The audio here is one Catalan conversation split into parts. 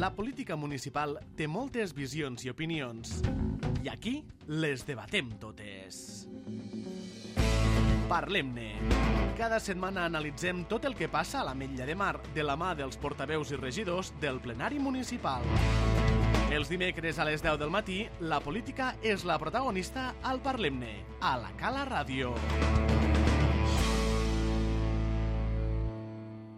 La política municipal té moltes visions i opinions, i aquí les debatem totes. Parlem-ne. Cada setmana analitzem tot el que passa a l'Ametlla de Mar de la mà dels portaveus i regidors del plenari municipal. Els dimecres a les 10 del matí, la política és la protagonista al Parlem-ne, a la Cala Ràdio.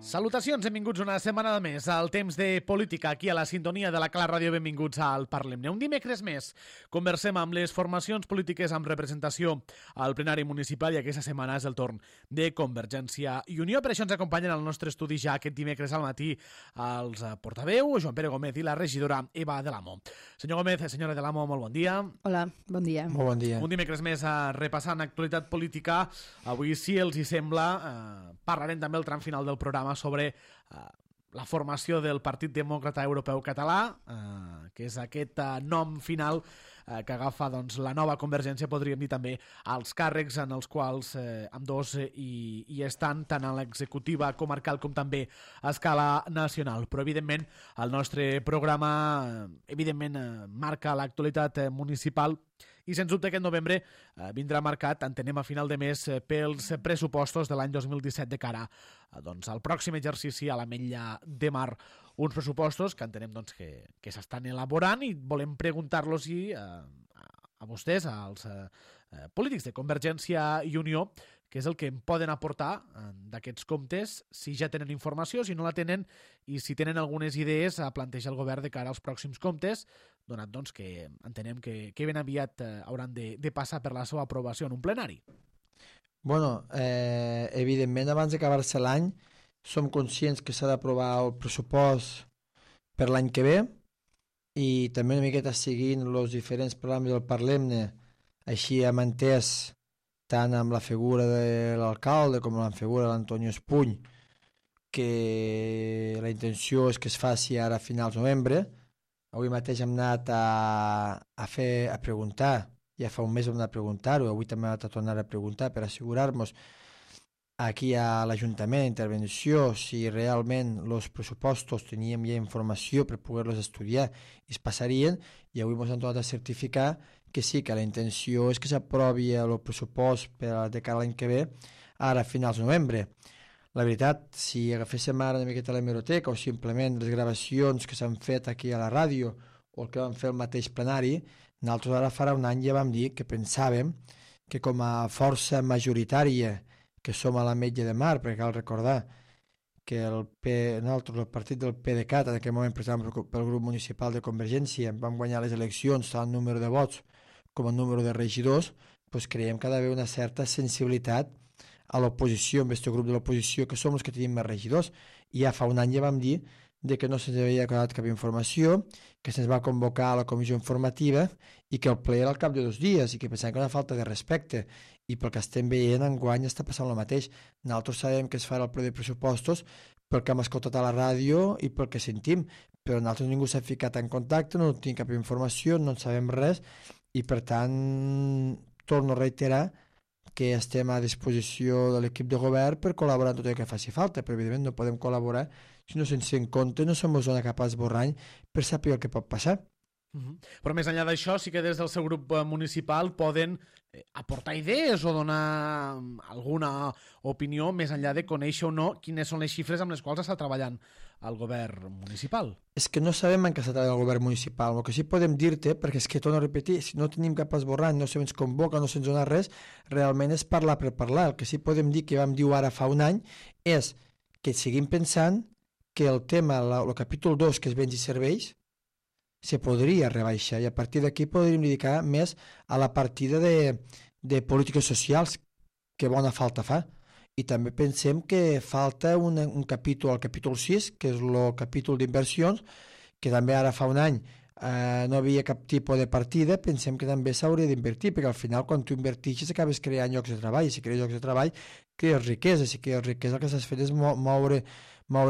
Salutacions, benvinguts una setmana més al temps de política aquí a la sintonia de la Cala Ràdio. Benvinguts al Parlem-ne. Un dimecres més conversem amb les formacions polítiques amb representació al plenari municipal i aquesta setmana és el torn de Convergència i Unió. Per això ens acompanyen al nostre estudi ja aquest dimecres al matí els portaveu, Joan Pere Gómez i la regidora Eva de l'Amo. Senyor Gómez, senyora de l'Amo, molt bon dia. Hola, bon dia. Molt bon dia. Un dimecres més repassant actualitat política. Avui, si els hi sembla, parlarem també el tram final del programa sobre la formació del Partit Demòcrata Europeu Català, que és aquest nom final que agafa doncs, la nova Convergència, podríem dir també els càrrecs en els quals ambdós hi estan, tant a l'executiva comarcal com també a escala nacional. Però, evidentment, el nostre programa marca l'actualitat municipal i, sens dubte, aquest novembre vindrà marcat, entenem, a final de mes pels pressupostos de l'any 2017 de cara doncs, al pròxim exercici a l'Ametlla de Mar. Uns pressupostos que entenem doncs, que s'estan elaborant i volem preguntar-los a vostès, als polítics de Convergència i Unió, què és el que en poden aportar d'aquests comptes, si ja tenen informació, si no la tenen, i si tenen algunes idees a plantejar el govern de cara als pròxims comptes, donat doncs, que entenem que ben aviat hauran de passar per la seva aprovació en un plenari. Bueno, evidentment, abans d'acabar-se l'any, som conscients que s'ha d'aprovar el pressupost per l'any que ve i també una miqueta seguint els diferents programes del Parlem-ne, així hem entès tant amb la figura de l'alcalde com amb la figura de l'Antonio Espuny, que la intenció és que es faci ara a finals de novembre. Avui mateix hem anat a preguntar, ja fa un mes vam anar a preguntar-ho, avui també hem anat a tornar a preguntar per assegurar-nos aquí a l'Ajuntament d'intervenció si realment els pressupostos teníem ja informació per poder-los estudiar i es passarien, i avui ens han tornat a certificar que sí, que la intenció és que s'aprovi el pressupost de cara a l'any que ve ara a finals de novembre. La veritat, si agaféssim ara una miqueta la hemeroteca o simplement les gravacions que s'han fet aquí a la ràdio o el que vam fer el mateix plenari, nosaltres ara farà un any ja vam dir que pensàvem que com a força majoritària que som a l'Ametlla de Mar, perquè cal recordar que nosaltres, el partit del PDeCAT, en aquell moment presentat pel grup municipal de Convergència, vam guanyar les eleccions tant el número de vots com el número de regidors, doncs creiem que ha d'haver una certa sensibilitat a l'oposició, amb aquest grup de l'oposició, que som els que tenim més regidors. I ja fa un any ja vam dir que no se'ns havia donat cap informació, que se'ns va convocar a la comissió informativa i que el ple era al cap de 2 dies i que pensàvem que era una falta de respecte. I pel que estem veient, enguany està passant el mateix. Nosaltres sabem que es farà el ple de pressupostos pel que hem escoltat a la ràdio i pel que sentim, però nosaltres ningú s'ha ficat en contacte, no tenim cap informació, no en sabem res i, per tant, torno a reiterar que estem a disposició de l'equip de govern per col·laborar en tot el que faci falta, però evidentment no podem col·laborar si no sense en compte no som zona cap d'esborrany per saber el que pot passar. Però més enllà d'això, sí que des del seu grup municipal poden aportar idees o donar alguna opinió més enllà de conèixer o no quines són les xifres amb les quals està treballant el govern municipal. És que no sabem en què està treballant el govern municipal. El que sí podem dir-te, perquè és que torno a repetir, si no tenim cap esborrany, no se'ns convoca, no se'ns dona res, realment és parlar per parlar. El que sí podem dir, que vam dir ara fa un any, és que seguim pensant que el tema, el capítol 2, que és béns i serveis, se podria rebaixar i a partir d'aquí podríem dedicar més a la partida de polítiques socials que bona falta fa. I també pensem que falta un capítol, el capítol 6, que és el capítol d'inversions, que també ara fa un any no havia cap tipus de partida. Pensem que també s'hauria d'invertir, perquè al final quan tu invertixes acabes creant llocs de treball, i si crees llocs de treball crees riquesa, si crees riquesa el que s'has fet és moure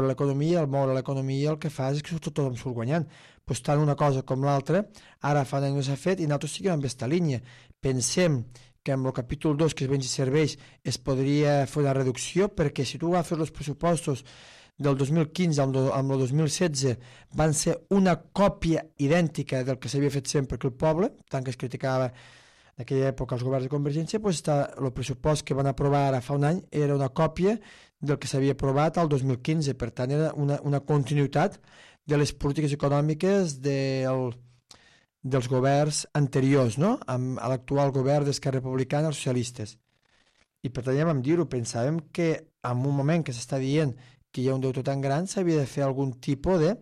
l'economia, al moure l'economia el que fa és que tothom surt guanyant. Pues tant una cosa com l'altra, ara fa un any no s'ha fet i nosaltres seguim amb aquesta línia. Pensem que amb el capítol 2, que és béns i serveis, es podria fer una reducció, perquè si tu agafes els pressupostos del 2015 amb el 2016 van ser una còpia idèntica del que s'havia fet sempre que el poble, tant que es criticava en aquella època els governs de Convergència, doncs el pressupost que van aprovar ara fa un any era una còpia del que s'havia aprovat al 2015, per tant era una continuïtat de les polítiques econòmiques dels governs anteriors, no? Amb l'actual govern d'Esquerra Republicana, els socialistes. I per tant ja vam dir-ho, pensàvem que en un moment que s'està dient que hi ha un deute tan gran s'havia de fer algun tipus de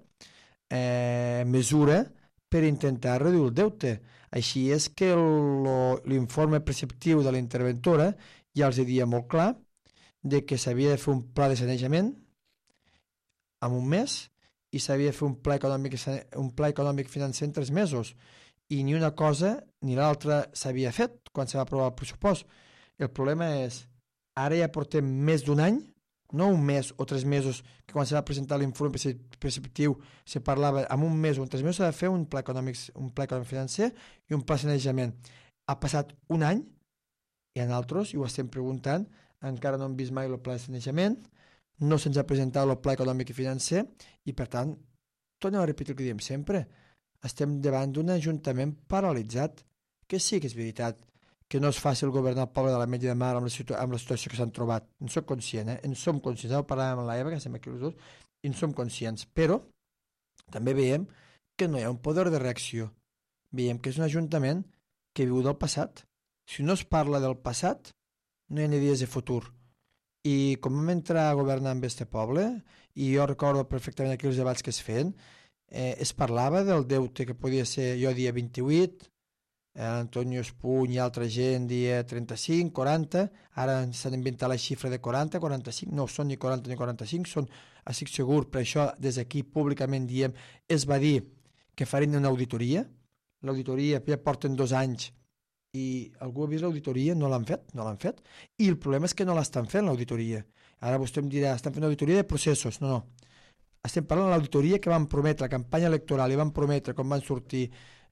mesura per intentar reduir el deute. Així és que l'informe preceptiu de la interventora ja els dia molt clar de que s'havia de fer un pla de sanejament en un mes i s'havia de fer un pla econòmic financer en 3 mesos. I ni una cosa ni l'altra s'havia fet quan se va aprovar el pressupost. El problema és, ara ja portem més d'un any, no un mes o 3 mesos, que quan se va presentar l'informe preceptiu se parlava en un mes o en 3 mesos s'ha de fer un pla econòmic financer i un pla de sanejament. Ha passat un any i a nosaltres, i ho estem preguntant, encara no hem vist mai el pla de sanejament, no se'ns ha presentat el pla econòmic i financer i per tant, tornem a repetir el que diem sempre, estem davant d'un ajuntament paralitzat, que sí que és veritat que no és fàcil governar el poble de la Metlla de Mar amb la situació que s'han trobat. En soc conscient, en som conscients. Ho parlàvem amb l'Eva, que estem aquí els dos, i en som conscients. Però també veiem que no hi ha un poder de reacció. Veiem que és un ajuntament que viu del passat. Si no es parla del passat, no hi ha ni dies de futur. I com vam entrar a governar amb este poble, i jo recordo perfectament aquí els debats que es feien, es parlava del deute que podia ser, jo dia 28, Antonio Espuny i altra gent dia 35, 40, ara s'han inventat la xifra de 40, 45, no són ni 40 ni 45, són, estic segur, per això des d'aquí públicament diem, es va dir que farien una auditoria, l'auditoria ja porten 2 anys i algú ha vist l'auditoria, no l'han fet, i el problema és que no l'estan fent l'auditoria. Ara vostè em dirà, estan fent auditoria de processos, no. Estem parlant de l'auditoria que van prometre, la campanya electoral, i van prometre quan van sortir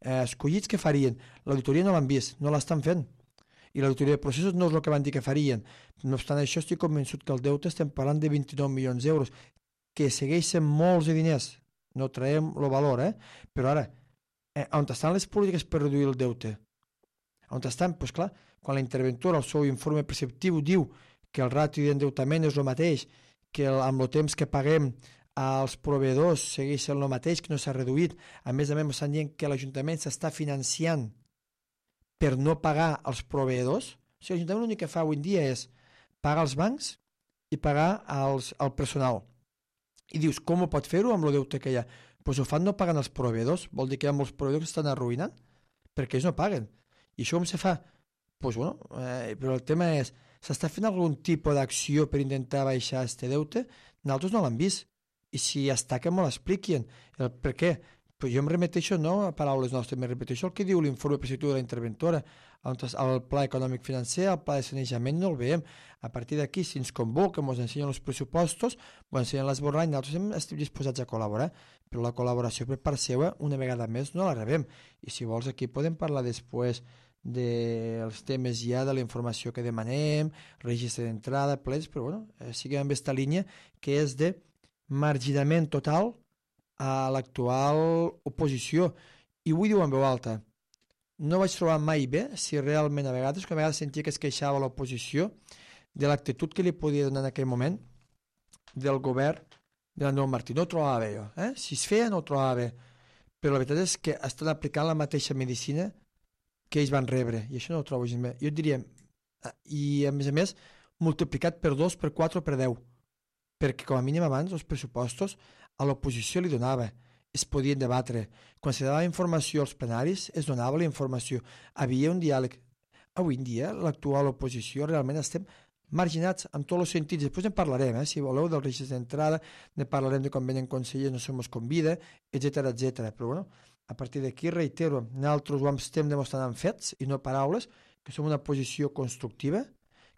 escollits que farien. L'auditoria no l'han vist, no l'estan fent. I l'auditoria de processos no és el que van dir que farien. No obstant això, estic convençut que el deute estem parlant de 29 milions d'euros, que segueixen molts de diners. No traiem el valor, Però ara, on estan les polítiques per reduir el deute? On estan? Doncs clar, quan la interventora, el seu informe preceptiu, diu que el ràtio d'endeutament és el mateix, que amb el temps que paguem els proveïdors segueix el mateix, que no s'ha reduït. A més, estan dient que l'Ajuntament s'està financiant per no pagar els proveïdors. O sigui, l'Ajuntament l'únic que fa avui en dia és pagar els bancs i pagar al personal. I dius, com ho pot fer-ho amb el deute que hi ha? Doncs ho fan no pagant els proveïdors. Vol dir que hi ha molts proveïdors que estan arruïnant perquè ells no paguen. I això com se fa? Doncs bueno, però el tema és, s'està fent algun tipus d'acció per intentar baixar aquest deute? Nosaltres no l'hem vist. I si està, que me l'expliquin. Per què? Però jo em remeteixo no a paraules nostres, em repeteixo el que diu l'informe preceptiu de la interventora. El pla econòmic financer, el pla de sanejament no el veiem. A partir d'aquí, si ens convoquen, ens ensenyen els pressupostos, ens ensenyen l'esborrany, nosaltres estem disposats a col·laborar, però la col·laboració per part seva, una vegada més, no la rebem. I si vols, aquí podem parlar després dels temes ja de la informació que demanem, registre d'entrada, plets, però bueno, siguem amb aquesta línia que és de marginament total a l'actual oposició. I ho diu en veu alta. No vaig trobar mai bé si realment a vegades sentia que es queixava l'oposició de l'actitud que li podia donar en aquell moment del govern de l'Andreu Martí. No ho trobava bé jo. Si es feia no ho trobava bé. Però la veritat és que estan aplicant la mateixa medicina que ells van rebre. I això no ho trobo gens bé. Jo et diria, i a més, multiplicat per 2, per 4 o per 10. Perquè com a mínim abans els pressupostos a l'oposició li donava, es podien debatre. Quan se donava informació als plenaris, es donava la informació. Havia un diàleg. Avui en dia, l'actual oposició, realment estem marginats en tots els sentits. Després en parlarem, si voleu, del registre d'entrada, ne parlarem de quan venen consellers, no se mos convida, etc. Però bueno, a partir d'aquí, reitero, nosaltres ho estem demostrant amb fets i no paraules, que som una oposició constructiva,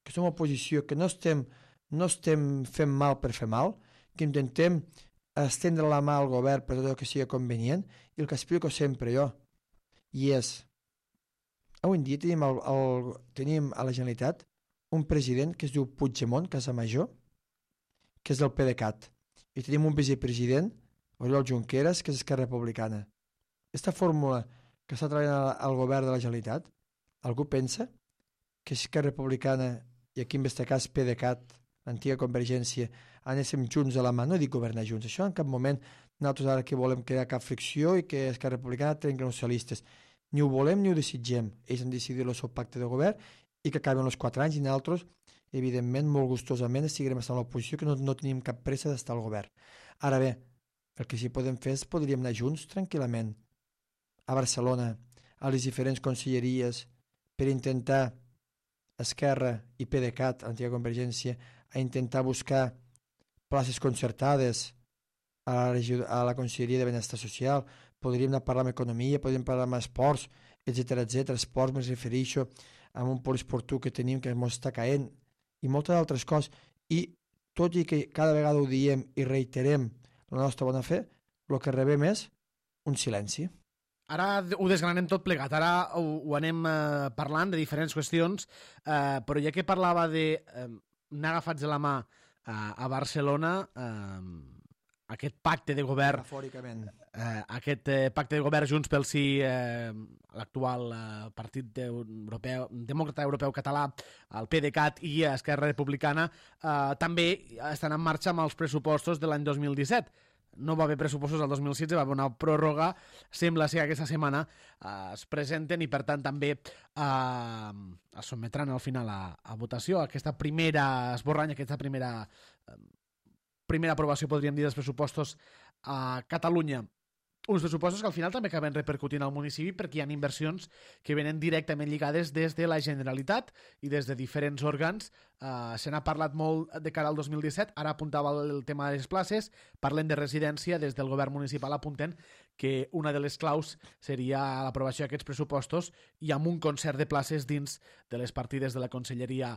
que som una oposició que no estem fent mal per fer mal, que intentem estendre la mà al govern per tot el que sigui convenient, i el que explico sempre jo, i és, avui en dia tenim a la Generalitat un president que es diu Puigdemont Casamajó, que és del PDeCAT, i tenim un vicepresident, Oriol Junqueras, que és Esquerra Republicana. Aquesta fórmula que està treballant al govern de la Generalitat, algú pensa que Esquerra Republicana i aquí en este cas PDeCAT, l'antiga Convergència, anéssim junts de la mà, no dic governar junts, això en cap moment nosaltres ara que volem crear cap fricció i que Esquerra Republicana trenqui els socialistes. Ni ho volem ni ho desitgem. Ells han decidit el seu pacte de govern i que acaben els 4 anys i nosaltres, evidentment, molt gustosament, seguirem estant a l'oposició, que no tenim cap pressa d'estar al govern. Ara bé, el que sí podem fer és podríem anar junts tranquil·lament a Barcelona, a les diferents conselleries, per intentar Esquerra i PDeCAT, l'antiga Convergència, a intentar buscar places concertades a la Conselleria de Benestar Social. Podríem anar a parlar amb economia, podríem parlar amb esports, etc. Esports, m'hi refereixo amb un poliesportiu que tenim que ens està caent i moltes altres coses. I tot i que cada vegada ho diem i reiterem la nostra bona fe, el que rebem és un silenci. Ara ho desgranem tot plegat, ara ho anem parlant de diferents qüestions, però ja que parlava d'anar agafats de la mà a Barcelona, aquest pacte de govern, aquest pacte de govern Junts pel Sí, l'actual Partit Demòcrata Europeu Català, el PDeCAT i Esquerra Republicana, també estan en marxa amb els pressupostos de l'any 2017. No va haver pressupostos al 2016, va haver una pròrroga, sembla ser que aquesta setmana es presenten i per tant també es sotmetran al final a votació aquesta primera esborrany, aquesta primera aprovació, podríem dir, dels pressupostos a Catalunya. Uns pressupostos que al final també acaben repercutint al municipi perquè hi ha inversions que venen directament lligades des de la Generalitat i des de diferents òrgans. Se n'ha parlat molt de cara al 2017, ara apuntava el tema de les places, parlem de residència, des del govern municipal apunten que una de les claus seria l'aprovació d'aquests pressupostos i amb un concert de places dins de les partides de la Conselleria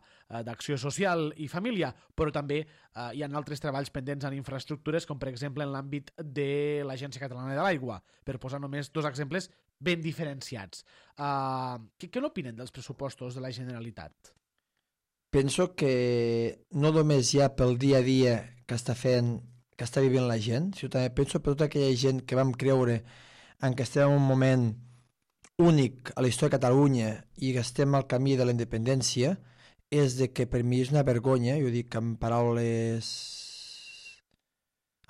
d'Acció Social i Família, però també hi ha altres treballs pendents en infraestructures, com per exemple en l'àmbit de l'Agència Catalana de l'Aigua, per posar només 2 exemples ben diferenciats. Què n'opinen dels pressupostos de la Generalitat? Penso que no només ja pel dia a dia que està vivint la gent, sinó també penso per tota aquella gent que vam creure en que estem en un moment únic a la història de Catalunya i que estem al camí de la independència, és de que per mi és una vergonya, jo dic en paraules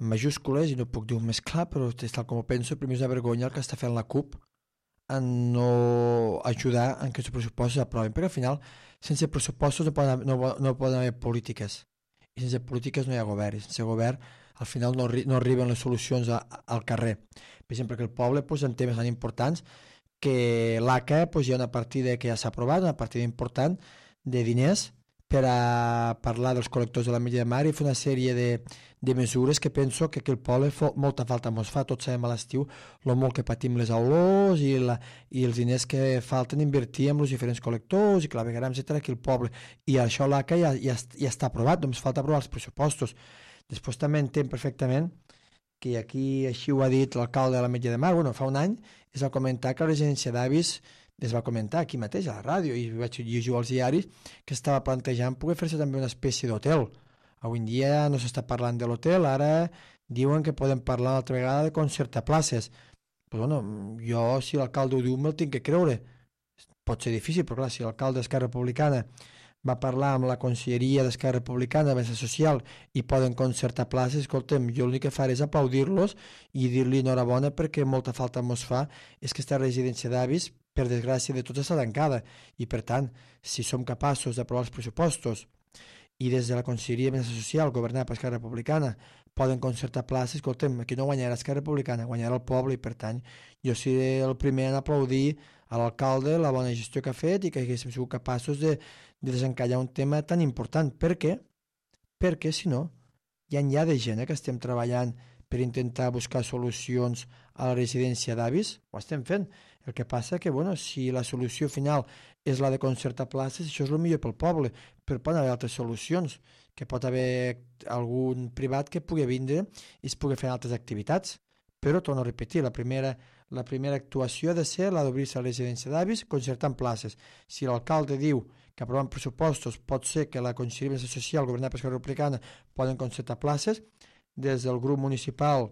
en majúscules, i no puc dir-ho més clar, però és tal com ho penso, per mi és una vergonya el que està fent la CUP en no ajudar en que els pressupostos s'aprovin, perquè al final sense pressupostos no poden haver polítiques, i sense polítiques no hi ha govern, i sense govern al final no arriben les solucions al carrer. Per exemple, que el poble en temes tan importants que l'ACA hi ha una partida que ja s'ha aprovat, una partida important de diners per a parlar dels col·lectors de la Milla de Mar i fer una sèrie de mesures que penso que aquí el poble molta falta ens fa. Tots sabem a l'estiu el molt que patim les olors i els diners que falten invertir en els diferents col·lectors i clavegueram, etc. aquí el poble. I això l'ACA ja està aprovat, només falta aprovar els pressupostos. Després també entenc perfectament que aquí així ho ha dit l'alcalde de la Milla de Mar, fa un any es va comentar que la residència d'avis es va comentar aquí mateix a la ràdio i vaig llegir als diaris que estava plantejant poder fer-se també una espècie d'hotel. Avui en dia no s'està parlant de l'hotel, ara diuen que podem parlar una altra vegada de concertar places. Però jo si l'alcalde ho diu me'l tinc que creure. Pot ser difícil, però clar, si l'alcalde d'Esquerra Republicana va parlar amb la Conselleria d'Esquerra Republicana de Benestar Social i poden concertar places, escolta'm, jo l'únic que faré és aplaudir-los i dir-li enhorabona perquè molta falta mos fa és que aquesta residència d'avis, per desgràcia de tots, està tancada i per tant, si som capaços d'aprovar els pressupostos i des de la Conselleria de Benestar Social, governada per Esquerra Republicana, poden concertar places, escolta'm, aquí no guanyarà Esquerra Republicana, guanyarà el poble i per tant jo seré el primer en aplaudir a l'alcalde la bona gestió que ha fet i que haguéssim sigut capaços de desencallar un tema tan important. Per què? Perquè si no, hi ha de gent que estem treballant per intentar buscar solucions a la residència d'avis, ho estem fent. El que passa que, si la solució final és la de concertar places, això és el millor pel poble, però poden haver altres solucions, que pot haver algun privat que pugui vindre i es pugui fer altres activitats. Però, torno a repetir, la primera actuació ha de ser la d'obrir-se a la residència d'avis concertant places. Si l'alcalde diu que aprovant pressupostos pot ser que la Conselleria de Benestar Social governada per Esquerra Republicana poden concertar places, des del grup municipal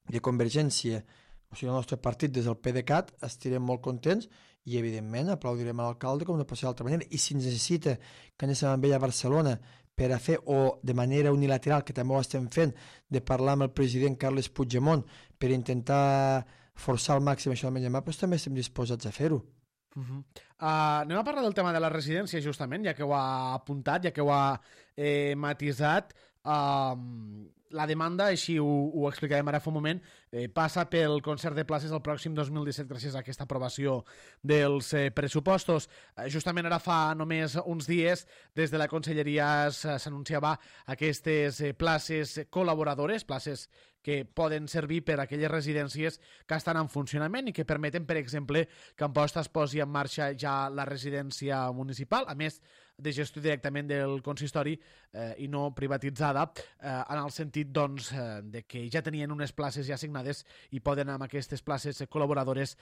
de Convergència, o sigui, el nostre partit des del PDeCAT, estirem molt contents i, evidentment, aplaudirem a l'alcalde com no pot ser d'altra manera. I si necessita que anem amb ell a Barcelona per a fer, o de manera unilateral, que també ho estem fent, de parlar amb el president Carles Puigdemont per intentar forçar al màxim això del Menjamà, doncs també estem disposats a fer-ho. Anem a parlar del tema de la residència, justament, ja que ho ha apuntat, ja que ho ha matisat. La demanda, així ho explicarem ara fa un moment, passa pel concert de places el pròxim 2017 gràcies a aquesta aprovació dels pressupostos. Justament ara fa només uns dies des de la Conselleria s'anunciava aquestes places col·laboradores, places que poden servir per a aquelles residències que estan en funcionament i que permeten, per exemple, que Amposta es posi en marxa ja la residència municipal, a més de gestió directament del consistori i no privatitzada, en el sentit doncs, de que ja tenien unes places ja assignades i poden amb aquestes places col·laboradores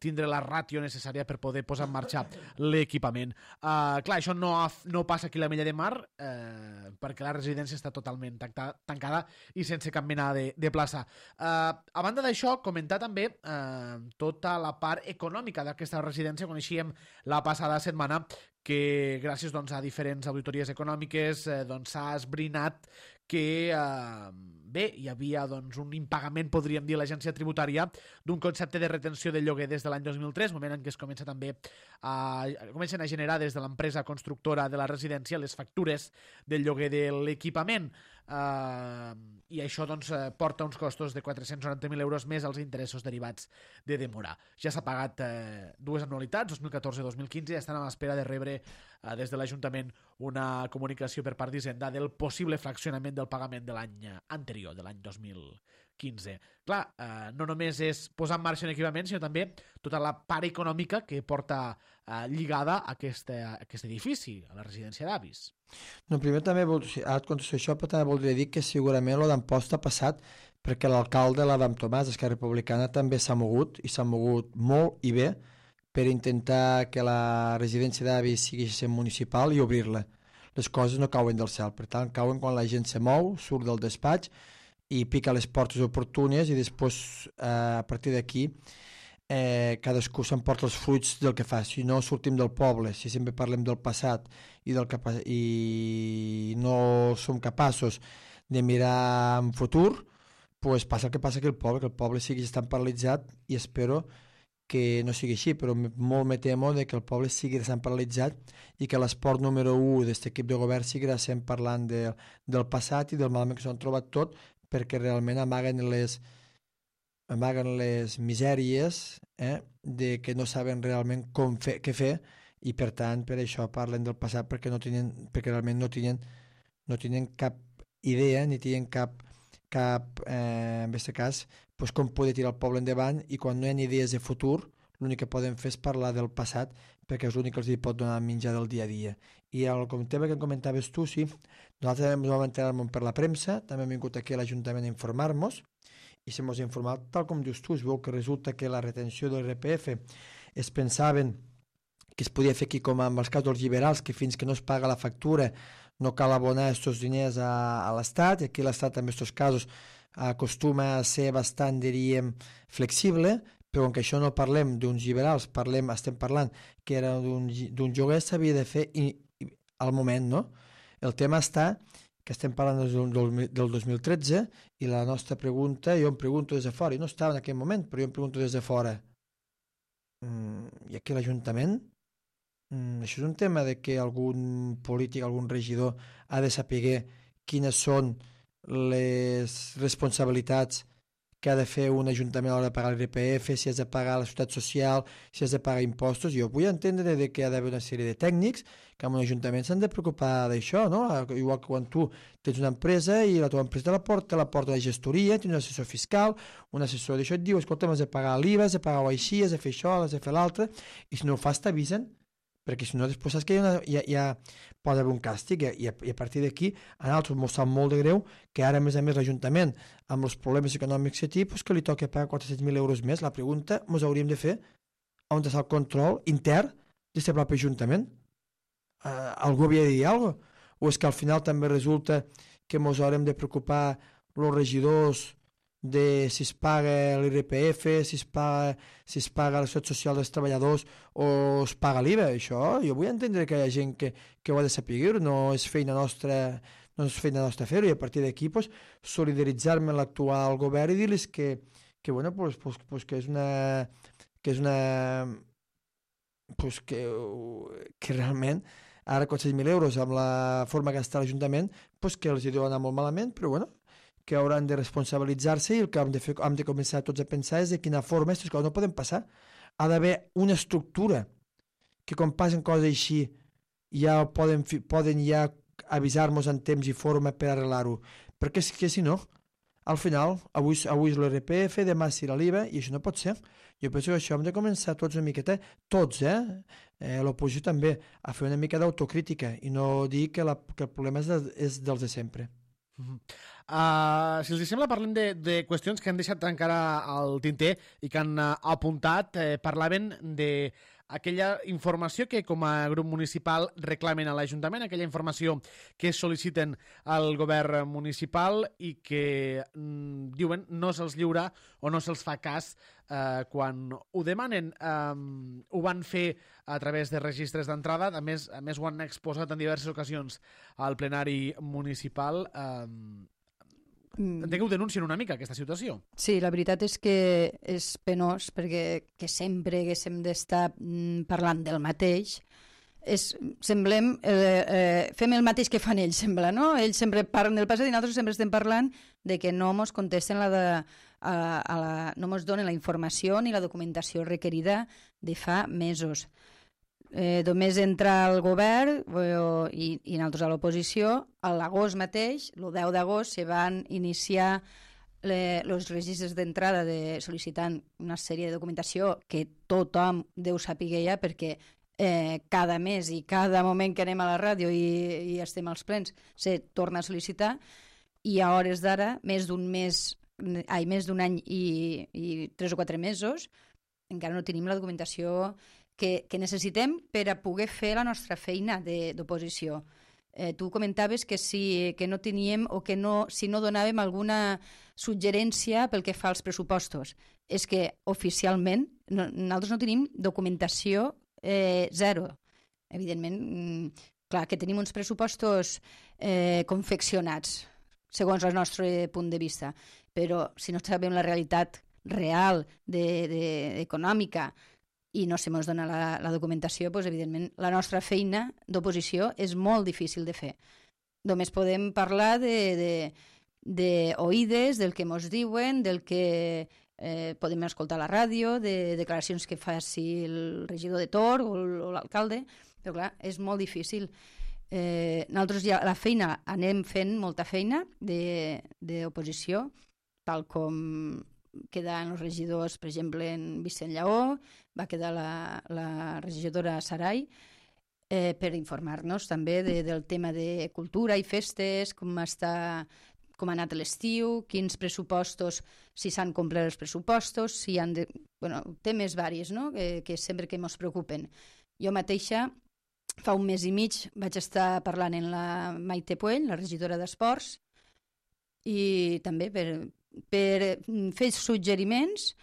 tindre la ràtio necessària per poder posar en marxa l'equipament. Clar, això no passa aquí a l'Ametlla de Mar perquè la residència està totalment tancada i sense cap mena de plaça. A banda d'això, comentar també tota la part econòmica d'aquesta residència. Coneixíem la passada setmana que gràcies doncs, a diferents auditories econòmiques s'ha esbrinat que hi havia doncs, un impagament, podríem dir, a l'agència tributària d'un concepte de retenció de lloguer des de l'any 2003, moment en què es comencen a generar des de l'empresa constructora de la residència les factures del lloguer de l'equipament. I això doncs, porta uns costos de 490.000 euros més els interessos derivats de demora. Ja s'ha pagat dues anualitats, 2014 i 2015, i estan a l'espera de rebre des de l'Ajuntament una comunicació per part d'Hisenda del possible fraccionament del pagament de l'any anterior, de l'any 2015. Clar, no només és posar en marxa un equipament, sinó també tota la part econòmica que porta lligada a aquest edifici, a la residència d'avis. No, primer també, ara et contesto això, però també voldria dir que segurament el d'Amposta ha passat perquè l'alcalde, l'Adam Tomàs, d'Esquerra Republicana, també s'ha mogut, i s'ha mogut molt i bé, per intentar que la residència d'avis sigui municipal i obrir-la. Les coses no cauen del cel, per tant, cauen quan la gent se mou, surt del despatx i pica les portes oportunes i després, a partir d'aquí, cadascú s'emporta els fruits del que fa. Si no sortim del poble, si sempre parlem del passat i no som capaços de mirar en futur, pues passa el que passa aquí al poble, que el poble sigui tan paralitzat, i espero que no sigui així, però molt me temo que el poble sigui tan paralitzat i que l'esport número 1 d'aquest equip de govern sigui sent parlant del passat i del malament que s'han trobat tot, perquè realment amaguen les misèries de que no saben realment què fer, i per tant per això parlen del passat, perquè realment no tenen cap idea ni tenen cap en aquest cas, doncs com poder tirar el poble endavant, i quan no hi ha idees de futur l'únic que poden fer és parlar del passat, perquè és l'únic que els pot donar menjar del dia a dia. I el tema que em comentaves tu, sí, nosaltres ens vam enterar per la premsa, també hem vingut aquí a l'Ajuntament a informar-nos, i se mos ha informat tal com dius tu. Es veu que resulta que la retenció del RPF es pensaven que es podia fer aquí com amb els casos dels liberals, que fins que no es paga la factura no cal abonar aquests diners a l'Estat, i aquí l'Estat en aquests casos acostuma a ser bastant, diríem, flexible, però com que això no parlem d'uns liberals, estem parlant que era d'un lloguer, s'havia de fer al moment, no? El tema està que estem parlant del 2013, i la nostra pregunta, jo em pregunto des de fora, i no estava en aquell moment, però jo em pregunto des de fora, i aquí l'Ajuntament? Això és un tema de que algun polític, algun regidor ha de saber quines són les responsabilitats que ha de fer un ajuntament a l'hora de pagar l'IRPF, si has de pagar la seguretat social, si has de pagar impostos. Jo vull entendre que hi ha d'haver una sèrie de tècnics que en un ajuntament s'han de preocupar d'això, no? Igual que quan tu tens una empresa i la teva empresa te la porta la gestoria, tens un assessor fiscal, un assessor d'això, et diu, escolta, has de pagar l'IVA, has de pagar-ho així, has de fer això, has de fer l'altre, i si no ho fas t'avisen, perquè si no després saps que ja pot haver un càstig, i a partir d'aquí a nosaltres ens sap molt de greu que ara a més l'Ajuntament amb els problemes econòmics que té, que li toca pagar 400.000 euros més. La pregunta ens hauríem de fer on està el control intern d'aquest propi Ajuntament. Algú havia de dir alguna cosa? O és que al final també resulta que ens haurem de preocupar els regidors de si es paga l'IRPF, si es paga la seguretat social dels treballadors o es paga l'IVA. Això jo vull entendre que hi ha gent que ho ha de saber, no és feina nostra fer-ho, i a partir d'aquí pues, solidaritzar-me amb l'actual govern i dir-los que bueno, pues, que és una pues, que realment ara 400.000 euros amb la forma que està l'Ajuntament pues, que els hi deu anar molt malament, però bueno, que hauran de responsabilitzar-se i el que hem de començar tots a pensar és de quina forma aquestes coses no poden passar. Ha d'haver una estructura que quan passen coses així ja poden ja avisar-nos en temps i forma per arreglar-ho. Perquè és que si no, al final, avui és l'IRPF, demà serà l'IVA i això no pot ser. Jo penso que això hem de començar tots una miqueta, tots, l'oposició també, a fer una mica d'autocrítica i no dir que el problema és dels de sempre. Si els sembla, parlem de qüestions que han deixat encara al tinter i que han apuntat. Parlaven d'aquella informació que com a grup municipal reclamen a l'Ajuntament, aquella informació que sol·liciten al govern municipal i que diuen no se'ls lliura o no se'ls fa cas quan ho demanen. Ho van fer a través de registres d'entrada, a més ho han exposat en diverses ocasions al plenari municipal. Entenc que ho denuncien una mica, aquesta situació. Sí, la veritat és que és penós, perquè que sempre haguéssim d'estar parlant del mateix, fem el mateix que fan ells, sembla, no? Ells sempre parlen del passat i nosaltres sempre estem parlant de que no ens contesten no ens donen la informació ni la documentació requerida de fa mesos. Només entrar al govern i nosaltres a l'oposició, a l'agost mateix, el 10 d'agost, se van iniciar els registres d'entrada sol·licitant una sèrie de documentació que tothom deu saber ja, perquè cada mes i cada moment que anem a la ràdio i estem als plens se torna a sol·licitar, i a hores d'ara, més d'un any i 3 o 4 mesos, encara no tenim la documentació que necessitem per a poder fer la nostra feina d'oposició. Tu comentaves que no teníem o que si no donàvem alguna suggerència pel que fa als pressupostos. És que oficialment nosaltres no tenim documentació zero. Evidentment, clar, que tenim uns pressupostos confeccionats segons el nostre punt de vista, però si no sabem la realitat real econòmica i no se ens dona la documentació, doncs, evidentment, la nostra feina d'oposició és molt difícil de fer. Només podem parlar d'oïdes, del que ens diuen, del que podem escoltar a la ràdio, de declaracions que faci el regidor de Tor o l'alcalde, però clar, és molt difícil. Nosaltres ja la feina, anem fent molta feina d'oposició, tal com queden els regidors, per exemple, en Vicent Lleó, va quedar la regidora Sarai, per informar-nos també del tema de cultura i festes, com ha anat l'estiu, quins pressupostos, si s'han complert els pressupostos, si han de... Bueno, temes varis, no?, que sempre que ens preocupen. Jo mateixa, fa un mes i mig, vaig estar parlant amb la Maite Puell, la regidora d'Esports, i també per fer suggeriments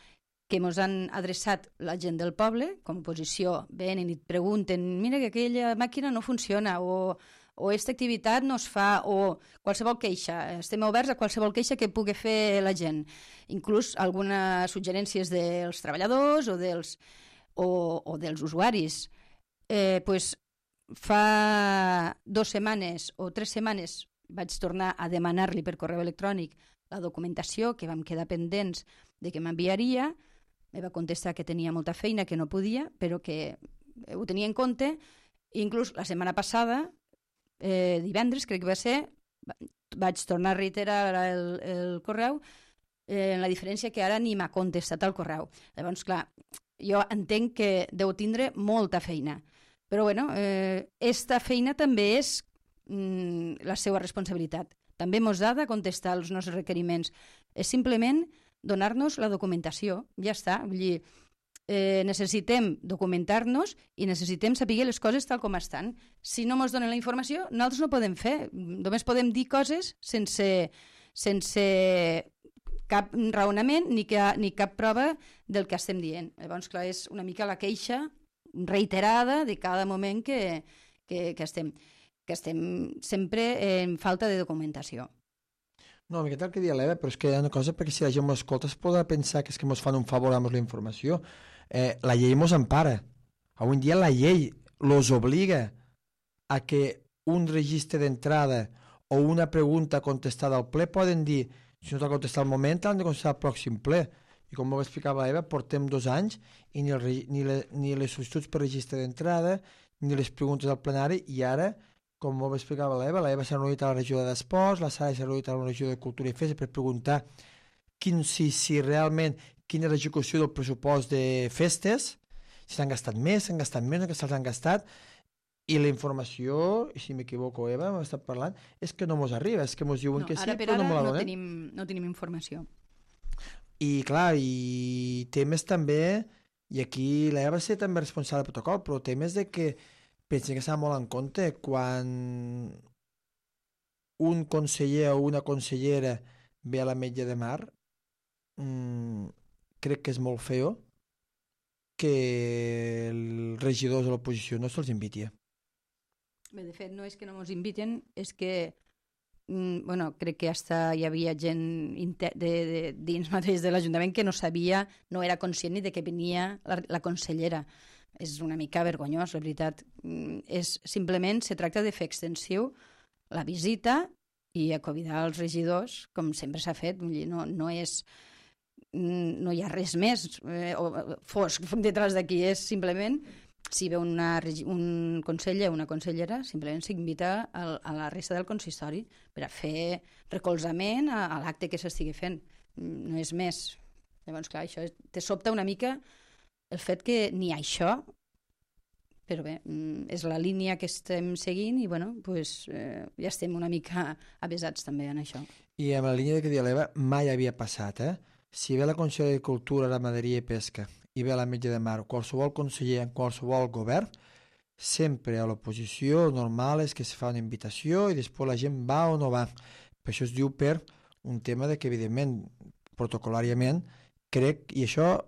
que ens han adreçat la gent del poble, com a oposició, venen i et pregunten, mira que aquella màquina no funciona, o aquesta activitat no es fa, o qualsevol queixa. Estem oberts a qualsevol queixa que pugui fer la gent. Inclús algunes suggerències dels treballadors o dels usuaris. Fa 2 setmanes o 3 setmanes vaig tornar a demanar-li per correu electrònic la documentació, que vam quedar pendents de que m'enviaria. Me va contestar que tenia molta feina, que no podia, però que ho tenia en compte. Inclús la setmana passada, divendres, crec que va ser, vaig tornar a reiterar el correu, la diferència que ara ni m'ha contestat el correu. Llavors, clar, jo entenc que deu tindre molta feina. Però, bueno, esta feina també és la seva responsabilitat. També ens ha de contestar els nostres requeriments. És simplement donar-nos la documentació. Ja està. Vull dir, necessitem documentar-nos i necessitem saber les coses tal com estan. Si no ens donen la informació, nosaltres no podem fer. Només podem dir coses sense sense cap raonament ni cap prova del que estem dient. Llavors, clar, és una mica la queixa reiterada de cada moment que estem sempre en falta de documentació. No, una miqueta el que dia l'Eva, però és que hi ha una cosa, perquè si la gent m'escolta es podrà pensar que és que ens fan un favor amb la informació. La llei ens empara. Avui en dia la llei los obliga a que un registre d'entrada o una pregunta contestada al ple poden dir, si no t'ha contestat al moment, l'han de contestar al pròxim ple. I com ho explicava l'Eva, portem 2 anys i ni les sol·licituds per registre d'entrada ni les preguntes al plenari, i ara, com ho explicava l'Eva s'ha reunit a la regió d'Esports, la Sara s'ha reunit a la regió de Cultura i Festa per preguntar si realment quina és l'execució del pressupost de festes, si s'han gastat més, s'han gastat menys, que se'ls han gastat, i la informació, i si m'equivoco, Eva, m'ha estat parlant, és que no mos arriba, és que mos diuen que sí, però no me la donen. No tenim informació. I clar, i temes també, i aquí l'Eva va ser també responsable del protocol, però temes de que pensen que s'ha molt en compte quan un conseller o una consellera ve a l'Ametlla de Mar, crec que és molt feo que els regidors de l'oposició no se'ls inviti. Bé, de fet, no és que no ens inviten, és que crec que hi havia gent dins mateix de l'Ajuntament que no sabia, no era conscient ni de que venia la consellera. És una mica vergonyós, la veritat. Simplement se tracta de fer extensiu la visita i a convidar els regidors, com sempre s'ha fet. No hi ha res més fosc detrás d'aquí, és simplement si ve un conseller o una consellera, simplement s'invita a la resta del consistori per a fer recolzament a l'acte que s'estigui fent. No és més. Llavors, clar, això te sobta una mica el fet que ni això, però bé, és la línia que estem seguint i ja estem una mica avesats també en això. I amb la línia que deia l'Eva mai havia passat, Si ve la Conselleria de Cultura, Ramaderia i Pesca i ve l'Ametlla de Mar, qualsevol conseller en qualsevol govern, sempre a l'oposició normal és que es fa una invitació i després la gent va o no va. Per això es diu per un tema de que, evidentment, protocolàriament, crec, i això,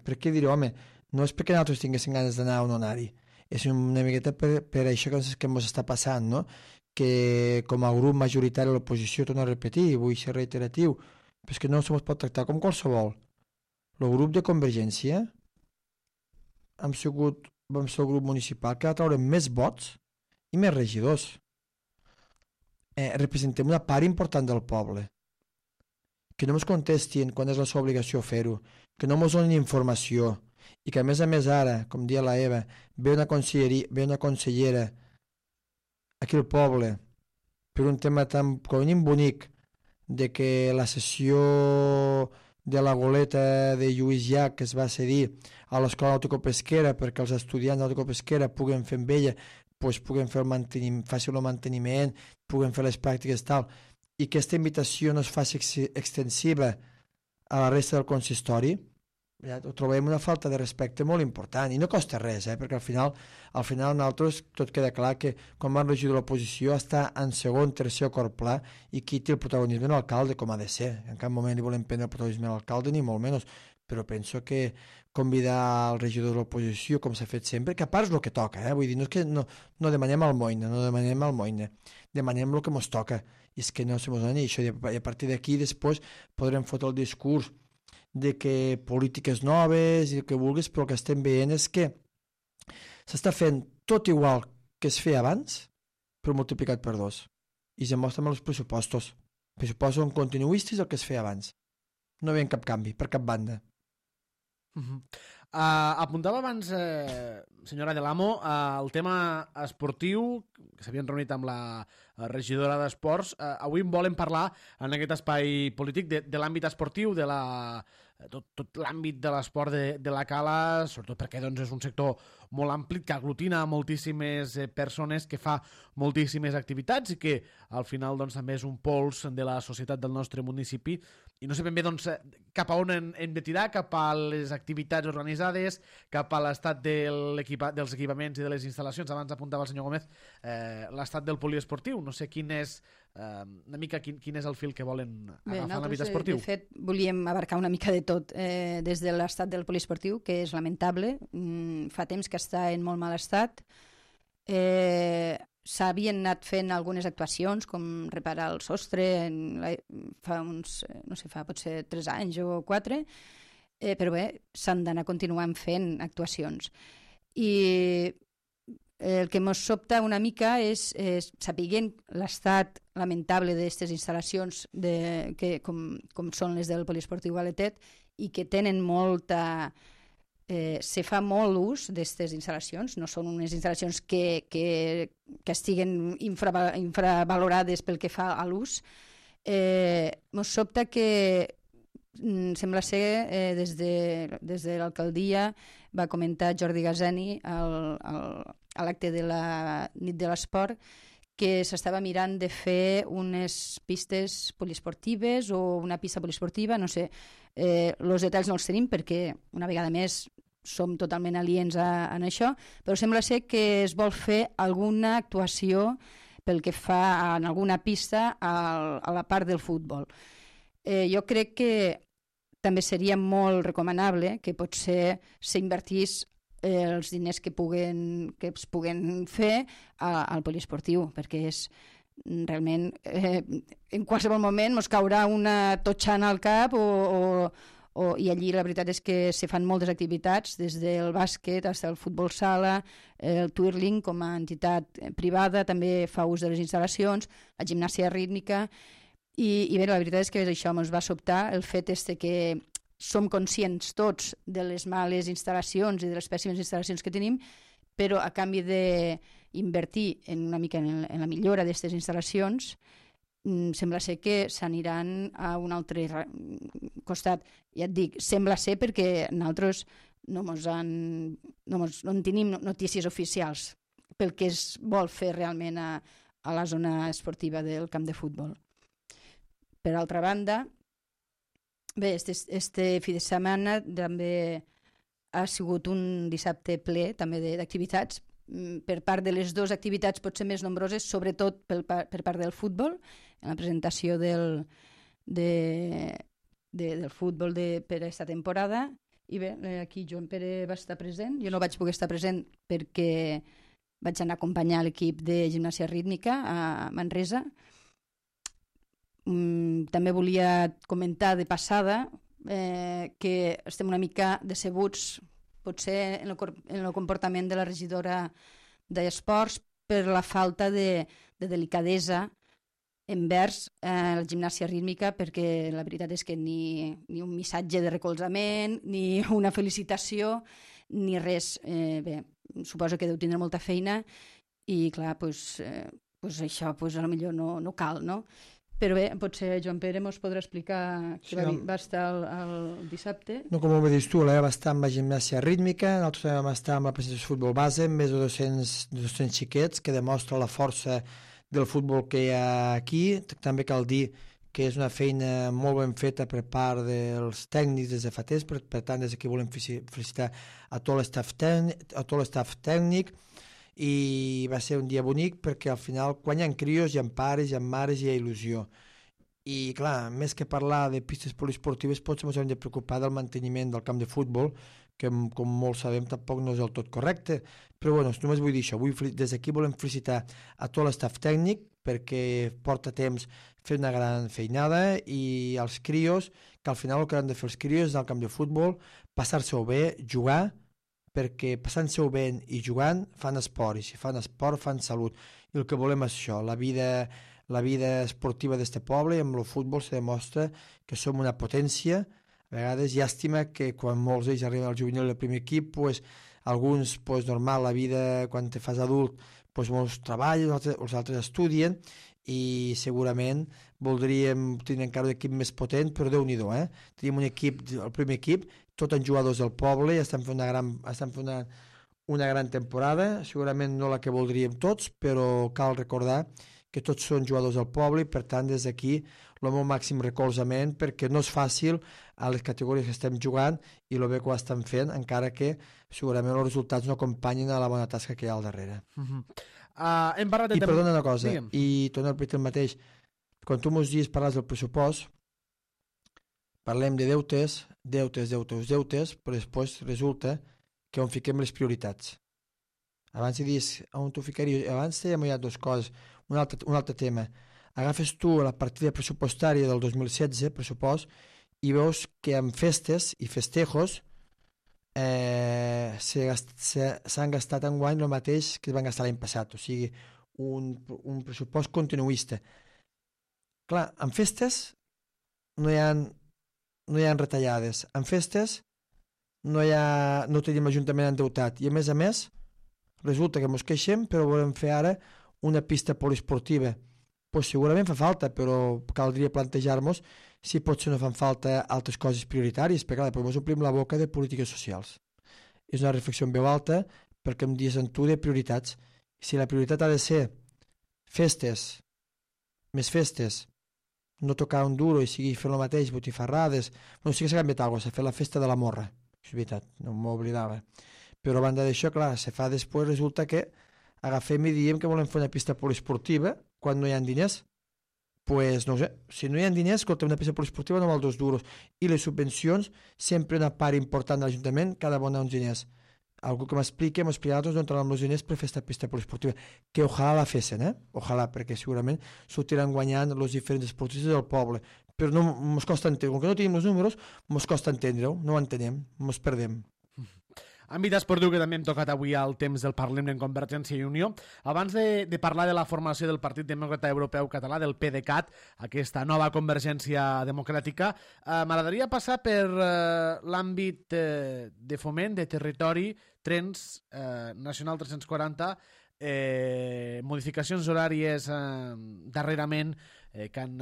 per què dir-ho, home, no és perquè nosaltres tinguéssim ganes d'anar o no anar-hi, és una miqueta per això que ens està passant, no? Que com a grup majoritari de l'oposició, torno a repetir, vull ser reiteratiu, però és que no se'ns pot tractar com qualsevol. El grup de Convergència vam ser el grup municipal que va treure més vots i més regidors. Representem una part important del poble. Que no ens contestin quan és la seva obligació fer-ho, que no ens donin informació i que a més ara, com dia la Eva, ve una consellera aquí al poble per un tema tan bonic de que la sessió de la goleta de Lluís Llach que es va cedir a l'escola nauticopesquera perquè els estudiants nauticopesquera puguen fer amb ella, puguen fer faci el manteniment, puguen fer les pràctiques tal, i que aquesta invitació no es faci extensiva a la resta del consistori, ho trobem una falta de respecte molt important i no costa res, perquè al final nosaltres tot queda clar que quan vam regir de l'oposició està en segon, tercer o quart pla i qui té el protagonisme és l'alcalde, com ha de ser. En cap moment li volem prendre el protagonisme a l'alcalde ni molt menys, però penso que convidar el regidor de l'oposició com s'ha fet sempre, que a part és el que toca, vull dir, no és que no demanem almoina, demanem el que ens toca, i és que no se mos doni això, i a partir d'aquí després podrem fotre el discurs de que polítiques noves i el que vulguis, però el que estem veient és que s'està fent tot igual que es feia abans, però multiplicat per 2. I se mostra amb els pressupostos. Els pressupostos són continuistes el que es feia abans. No hi havia cap canvi, per cap banda. Apuntava abans, senyora de l'Amo, el tema esportiu, que s'havien reunit amb la regidora d'Esports. Avui en volem parlar en aquest espai polític de l'àmbit esportiu, de tot l'àmbit de l'esport de la Cala, sobretot perquè és un sector molt ampli que aglutina moltíssimes persones, que fa moltíssimes activitats i que al final també és un pols de la societat del nostre municipi I no sé ben bé doncs, cap a on hem de tirar, cap a les activitats organitzades, cap a l'estat dels equipaments i de les instal·lacions. Abans apuntava el senyor Gómez l'estat del poliesportiu. No sé quin és una mica quin és el fil que volen agafar en l'àmbit esportiu. De fet, volíem abarcar una mica de tot, des de l'estat del poliesportiu, que és lamentable. Fa temps que està en molt mal estat. S'havien anat fent algunes actuacions, com reparar el sostre, fa uns, no sé, fa potser 3 anys o 4, però bé, s'han d'anar continuant fent actuacions. I el que ens sobta una mica és sapiguent l'estat lamentable d'aquestes instal·lacions com són les del poliesportiu Aletet i que tenen molta... se fa molt ús d'aquestes instal·lacions, no són unes instal·lacions que estiguen infravalorades pel que fa a l'ús. Ens sobta que sembla ser des de l'alcaldia va comentar Jordi Gazeni a l'acte de la nit de l'esport que s'estava mirant de fer unes pistes poliesportives o una pista poliesportiva, no sé, els detalls no els tenim perquè una vegada més som totalment aliens en això, però sembla ser que es vol fer alguna actuació pel que fa en alguna pista a la part del futbol. Jo crec que també seria molt recomanable que potser s'invertís els diners que es puguen fer al poliesportiu, perquè és realment en qualsevol moment ens caurà una totxana al cap i allí la veritat és que se fan moltes activitats, des del bàsquet fins al futbol sala, el twirling com a entitat privada també fa ús de les instal·lacions, la gimnàsia rítmica i bé, la veritat és que això ens va sobtar el fet que som conscients tots de les males instal·lacions i de les pèssimes instal·lacions que tenim, però a canvi d'invertir una mica en la millora d'aquestes instal·lacions sembla ser que s'aniran a un altre costat. Ja et dic, sembla ser perquè nosaltres no en tenim notícies oficials pel que es vol fer realment a la zona esportiva del camp de futbol. Per altra banda, bé, este fi de setmana també ha sigut un dissabte ple també d'activitats per part de les dues activitats potser més nombroses, sobretot per part del futbol, en la presentació del futbol per aquesta temporada. I bé, aquí Joan Pere va estar present. Jo no vaig poder estar present perquè vaig anar a acompanyar l'equip de gimnàsia rítmica a Manresa. També volia comentar de passada que estem una mica decebuts potser en el comportament de la regidora d'Esports per la falta de delicadesa envers la gimnàsia rítmica, perquè la veritat és que ni un missatge de recolzament, ni una felicitació, ni res. Bé, suposo que deu tindre molta feina i clar, això potser no cal, no? Però bé, potser Joan Pere mos podrà explicar que va estar el dissabte. No, com ho dius tu, va estar amb la gimnàsia rítmica, nosaltres també vam estar amb la presentació de futbol base, amb més de 200 xiquets, que demostra la força del futbol que hi ha aquí. També cal dir que és una feina molt ben feta per part dels tècnics des de fa temps, per tant, des d'aquí volem felicitar a tot l'estaf tècnic, i va ser un dia bonic perquè al final quan hi ha crios, hi ha pares, hi ha mares, hi ha il·lusió. I clar, més que parlar de pistes poliesportives potser ens hem de preocupar del manteniment del camp de futbol, que com molts sabem tampoc no és del tot correcte, però bueno, només vull dir això. Des d'aquí volem felicitar a tot l'estaf tècnic perquè porta temps fer una gran feinada, i als crios, que al final el que han de fer els crios és al camp de futbol, passar-se-ho bé, jugar, perquè passant-se-ho bé i jugant fan esport, i si fan esport fan salut, i el que volem és això, la vida esportiva d'este poble, i amb el futbol se demostra que som una potència. A vegades llàstima que quan molts d'ells arriben al juvenil del primer equip, alguns, normal, la vida quan te fas adult, molts treballen, els altres estudien, i segurament voldríem tenir encara un equip més potent, però Déu-n'hi-do, Tenim un equip, el primer equip, tots en jugadors del poble, i estan fent una gran temporada, segurament no la que voldríem tots, però cal recordar que tots són jugadors del poble i per tant des d'aquí el meu màxim recolzament perquè no és fàcil a les categories que estem jugant i el bé que ho estan fent, encara que segurament els resultats no acompanyin a la bona tasca que hi ha al darrere. Hem parlat de... I perdona una cosa, Digue'm. i torno a repetir el mateix, quan tu mos dius parles del pressupost, parlem de deutes, però després resulta que on fiquem les prioritats. Abans dius, on tu ficaries? Abans dèiem ja dues coses. Un altre tema. Agafes tu la partida pressupostària del 2016, pressupost, i veus que amb festes i festejos s'han gastat enguany el mateix que es van gastar l'any passat. O sigui, un pressupost continuista. Clar, en festes no hi ha retallades. En festes no tenim l'Ajuntament endeutat. I a més, resulta que ens queixem, però volem fer ara una pista poliesportiva. Pues segurament fa falta, però caldria plantejar-nos si potser no fan falta altres coses prioritàries, perquè clar, ens omplim la boca de polítiques socials. És una reflexió en veu alta perquè em dius en tu de prioritats. Si la prioritat ha de ser festes, més festes, no tocar un duro i seguir fent el mateix, botifarrades, bueno, sí que s'ha canviat alguna cosa, s'ha fet la festa de la morra, és veritat, no m'oblidava. Però a banda d'això, clar, se fa després, resulta que agafem i diem que volem fer una pista poliesportiva quan no hi ha diners. Pues no ho sé, si no hi ha diners, escolta, una pista poliesportiva no val 2 duros. I les subvencions, sempre una part important de l'Ajuntament, cada bona uns diners. Algú que m'expliqui, nosaltres no entrarem els diners per fer aquesta pista poliesportiva. Que ojalà la fessin, Ojalà, perquè segurament sortiran guanyant els diferents esportistes del poble. Però no mos costa entendre, com que no tenim els números, mos costa entendre-ho, no ho entenem, mos perdem. Àmbit esportiu que també hem tocat avui al temps del Parlem en Convergència i Unió. Abans de parlar de la formació del Partit Demòcrata Europeu Català, del PDeCAT, aquesta nova Convergència Democràtica, m'agradaria passar per l'àmbit de foment, de territori, trens, Nacional 340, modificacions horàries darrerament que han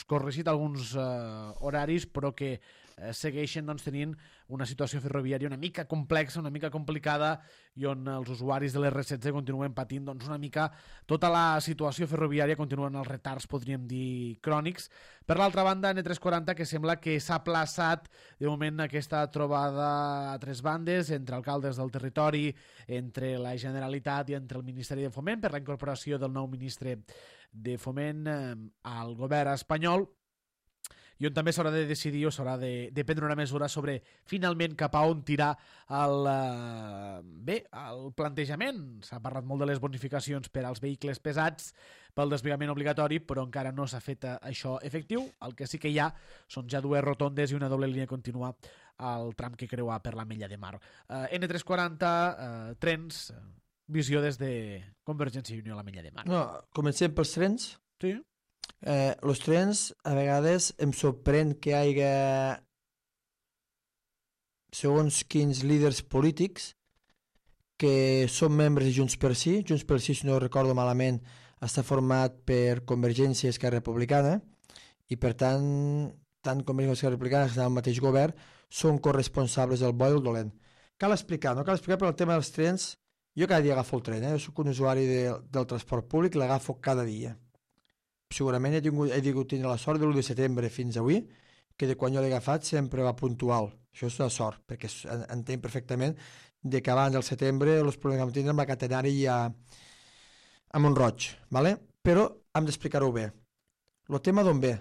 corregit alguns horaris, però que segueixen tenint una situació ferroviària una mica complexa, una mica complicada, i on els usuaris de l'R16 continuen patint una mica tota la situació ferroviària, continuen els retards, podríem dir, crònics. Per l'altra banda, N340, que sembla que s'ha aplaçat de moment aquesta trobada a 3 bandes entre alcaldes del territori, entre la Generalitat i entre el Ministeri de Foment per la incorporació del nou ministre de Foment al govern espanyol, i on també s'haurà de decidir o s'haurà de prendre una mesura sobre finalment cap a on tirar el plantejament. S'ha parlat molt de les bonificacions per als vehicles pesats pel desplegament obligatori, però encara no s'ha fet això efectiu. El que sí que hi ha són ja 2 rotondes i una doble línia contínua al tram que creua per l'Ametlla de Mar. N340, trens, visió des de Convergència i Unió a l'Ametlla de Mar. No, comencem pels trens. Sí. Els trens, a vegades em sorprèn que hi hagi segons quins líders polítics que són membres de Junts pel Sí. Junts pel Sí, si no recordo malament, està format per Convergència i Esquerra Republicana, i per tant Convergència i Esquerra Republicana, que estan al mateix govern, són corresponsables del bo i el dolent. Cal explicar, però el tema dels trens, jo cada dia agafo el tren, jo soc un usuari del transport públic, l'agafo cada dia. Segurament he tingut la sort de l'1 de setembre fins avui, que de quan jo l'he agafat sempre va puntual. Això és una sort, perquè entenc perfectament de que abans del setembre els problemes que vam tindre amb la catenària a Mont-roig, ¿vale? Però hem d'explicar-ho bé. El tema d'on ve?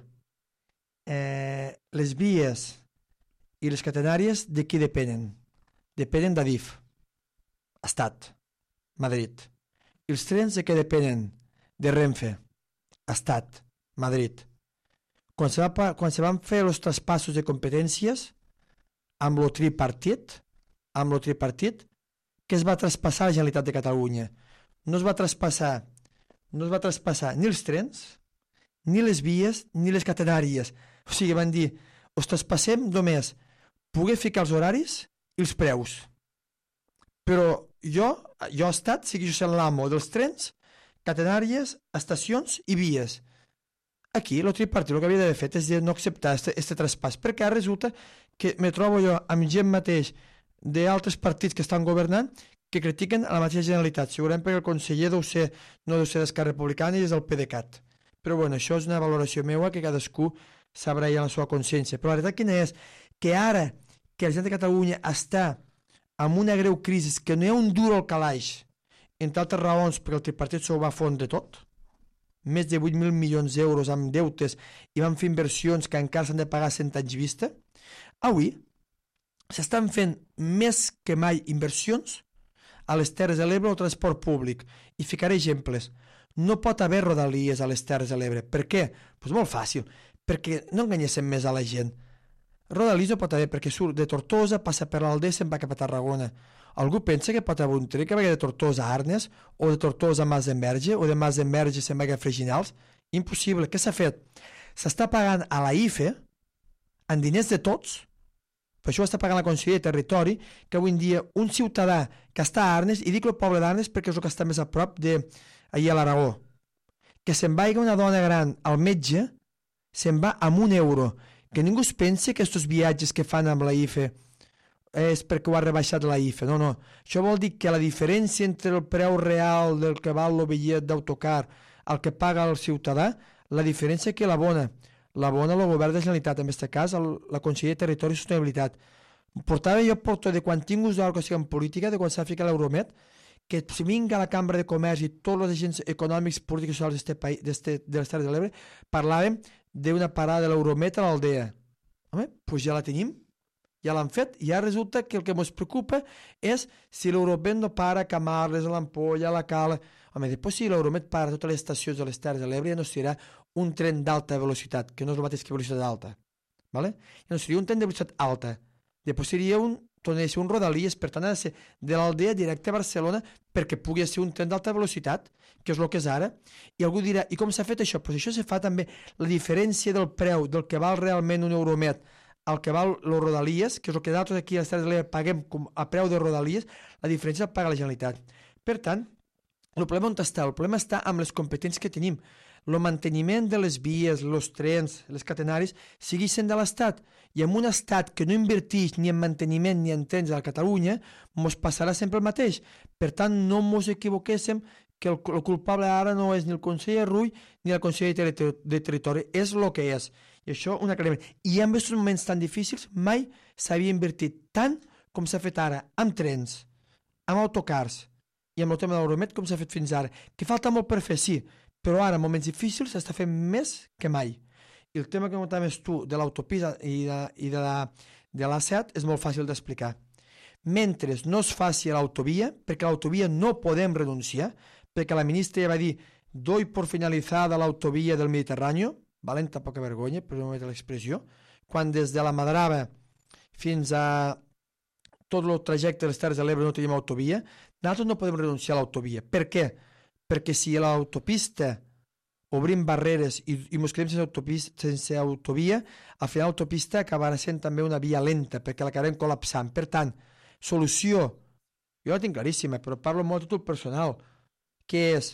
Les vies i les catenàries de qui depenen? Depenen d'Adif, Estat, Madrid. I els trens de què depenen? De Renfe, Estat, Madrid. Quan se van fer els traspassos de competències amb el tripartit, què es va traspassar a la Generalitat de Catalunya? No es va traspassar ni els trens, ni les vies, ni les catenàries. O sigui, van dir, us traspassem només poder ficar els horaris i els preus. Però jo, Estat, segueixo sent l'amo dels trens, catenàries, estacions i vies. Aquí, el tripartit el que havia d'haver fet és de no acceptar aquest traspàs, perquè ara resulta que me trobo jo amb gent mateix d'altres partits que estan governant que critiquen a la mateixa Generalitat, segurament perquè el conseller no deu ser d'Esquerra Republicana i és del PDeCAT. Però bueno, això és una valoració meva que cadascú sabrà ja la seva consciència. Però la veritat quina és? Que ara que la gent de Catalunya està amb una greu crisi, que no hi ha un duro al calaix, entre altres raons perquè el tripartit s'ho va fondre tot, més de 8.000 milions d'euros amb deutes i van fer inversions que encara s'han de pagar 100 anys vista, avui s'estan fent més que mai inversions a les Terres de l'Ebre o transport públic. I ficaré exemples. No pot haver rodalies a les Terres de l'Ebre. Per què? Doncs molt fàcil. Perquè no enganyéssim més a la gent. Rodalies no pot haver perquè surt de Tortosa, passa per l'Aldea i se'n va cap a Tarragona. Algú pensa que pot haver un tren que vagi de Tortosa a Arnes o de Tortosa a Mas d'Enverge o de Mas d'Enverge se'n va a Freginals? Impossible. Què s'ha fet? S'està pagant a la IFE en diners de tots. Per això està pagant la Conselleria de Territori, que avui en dia un ciutadà que està a Arnes, i dic el poble d'Arnes perquè és el que està més a prop d'ahir a l'Aragó, que se'n vagi una dona gran al metge, se'n va amb €1. Que ningú es pensi que aquests viatges que fan amb la IFE és perquè ho ha rebaixat la IFE. No, no. Això vol dir que la diferència entre el preu real del que val el bitllet d'autocar al que paga el ciutadà, la diferència que l'abona el govern de la Generalitat, en aquest cas la Conselleria de Territori i Sostenibilitat. Jo porto de quan tinc ús d'algo en política, de quan s'ha ficat l'Euromet, que si vinga a la Cambra de Comerç i tots els agents econòmics, polítics i socials de les Terres de l'Ebre, parlàvem d'una parada de l'Euromet a l'Aldea. Home, doncs ja la tenim, ja l'han fet, i ara resulta que el que ens preocupa és si l'Euromet no para a Camarles, a l'Ampolla, a la Cala. Home, després si l'Euromet para a totes les estacions de les Terres de l'Ebre ja no serà un tren d'alta velocitat, que no és el mateix que velocitat alta. ¿Vale? Ja no seria un tren de velocitat alta. Després seria tornaria a ser un rodalies, per tant ha de ser de l'Aldea directe a Barcelona perquè pugui ser un tren d'alta velocitat, que és el que és ara. I algú dirà, i com s'ha fet això? Pues això se fa també la diferència del preu del que val realment un Euromet al que val los rodalies, que és el que nosaltres aquí a les Terres de l'Ebre paguem a preu de rodalies, la diferència la paga la Generalitat. Per tant, el problema on està? El problema està amb les competències que tenim. El manteniment de les vies, els trens, les catenaris, segueixen de l'Estat. I en un estat que no inverteix ni en manteniment ni en trens a Catalunya, ens passarà sempre el mateix. Per tant, no ens equivoquéssim que el culpable ara no és ni el conseller Rull ni el conseller de Territori, és el que és. I això, un aclariment. I en aquests moments tan difícils, mai s'havia invertit tant com s'ha fet ara, amb trens, amb autocars i amb el tema de l'Euromet com s'ha fet fins ara. Que falta molt per fer, sí, però ara, en moments difícils, s'està fent més que mai. I el tema que comentaves tu de l'autopista i de l'A7 és molt fàcil d'explicar. Mentre no es faci l'autovia, perquè l'autovia no podem renunciar, perquè la ministra ja va dir doy por finalizada l'autovia del Mediterrani, valenta poca vergonya, per no metre l'expressió, quan des de la Madrava fins a tot el trajecte de les Terres de l'Ebre no tenim autovia, nosaltres no podem renunciar a l'autovia. Per què? Perquè si l'autopista obrim barreres i ens quedem sense autovia, al final l'autopista acabarà sent també una via lenta, perquè l'acabarem col·lapsant. Per tant, solució, jo la tinc claríssima, però parlo molt a títol personal, que és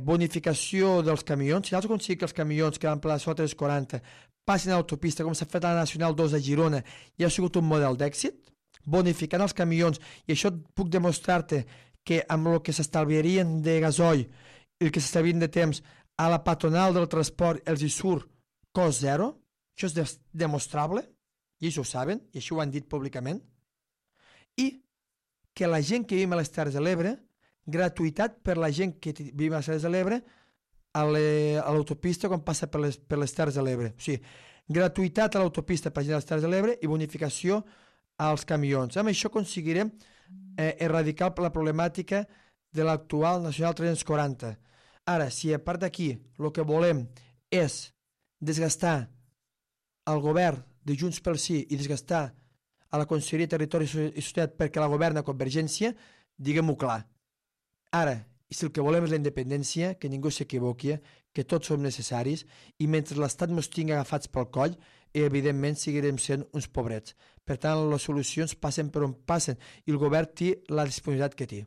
bonificació dels camions. Si nosaltres aconseguim que els camions que van per la sota dels 40 passin a l'autopista, com s'ha fet a la Nacional 2 de Girona, i ha sigut un model d'èxit, bonificant els camions, i això puc demostrar-te que amb el que s'estalviarien de gasoil i el que s'estalviarien de temps a la patronal del transport els hi surt cost zero, això és demostrable, i ells ho saben, i això ho han dit públicament, i que la gent que vivim a les Terres de l'Ebre, gratuïtat per la gent que vivim a les Terres de l'Ebre a l'autopista quan passa per les Terres de l'Ebre. O sigui, gratuïtat a l'autopista per la gent de les Terres de l'Ebre i bonificació als camions. Amb això aconseguirem erradicar la problemàtica de l'actual Nacional 340. Ara, si a part d'aquí el que volem és desgastar el govern de Junts pel Sí i desgastar a la Conselleria de Territori i Societat perquè la governa Convergència, diguem-ho clar. Ara, si el que volem és la independència, que ningú s'equivoqui, que tots som necessaris, i mentre l'Estat ens tingui agafats pel coll, evidentment seguirem sent uns pobrets. Per tant, les solucions passen per on passen, i el govern té la disponibilitat que té.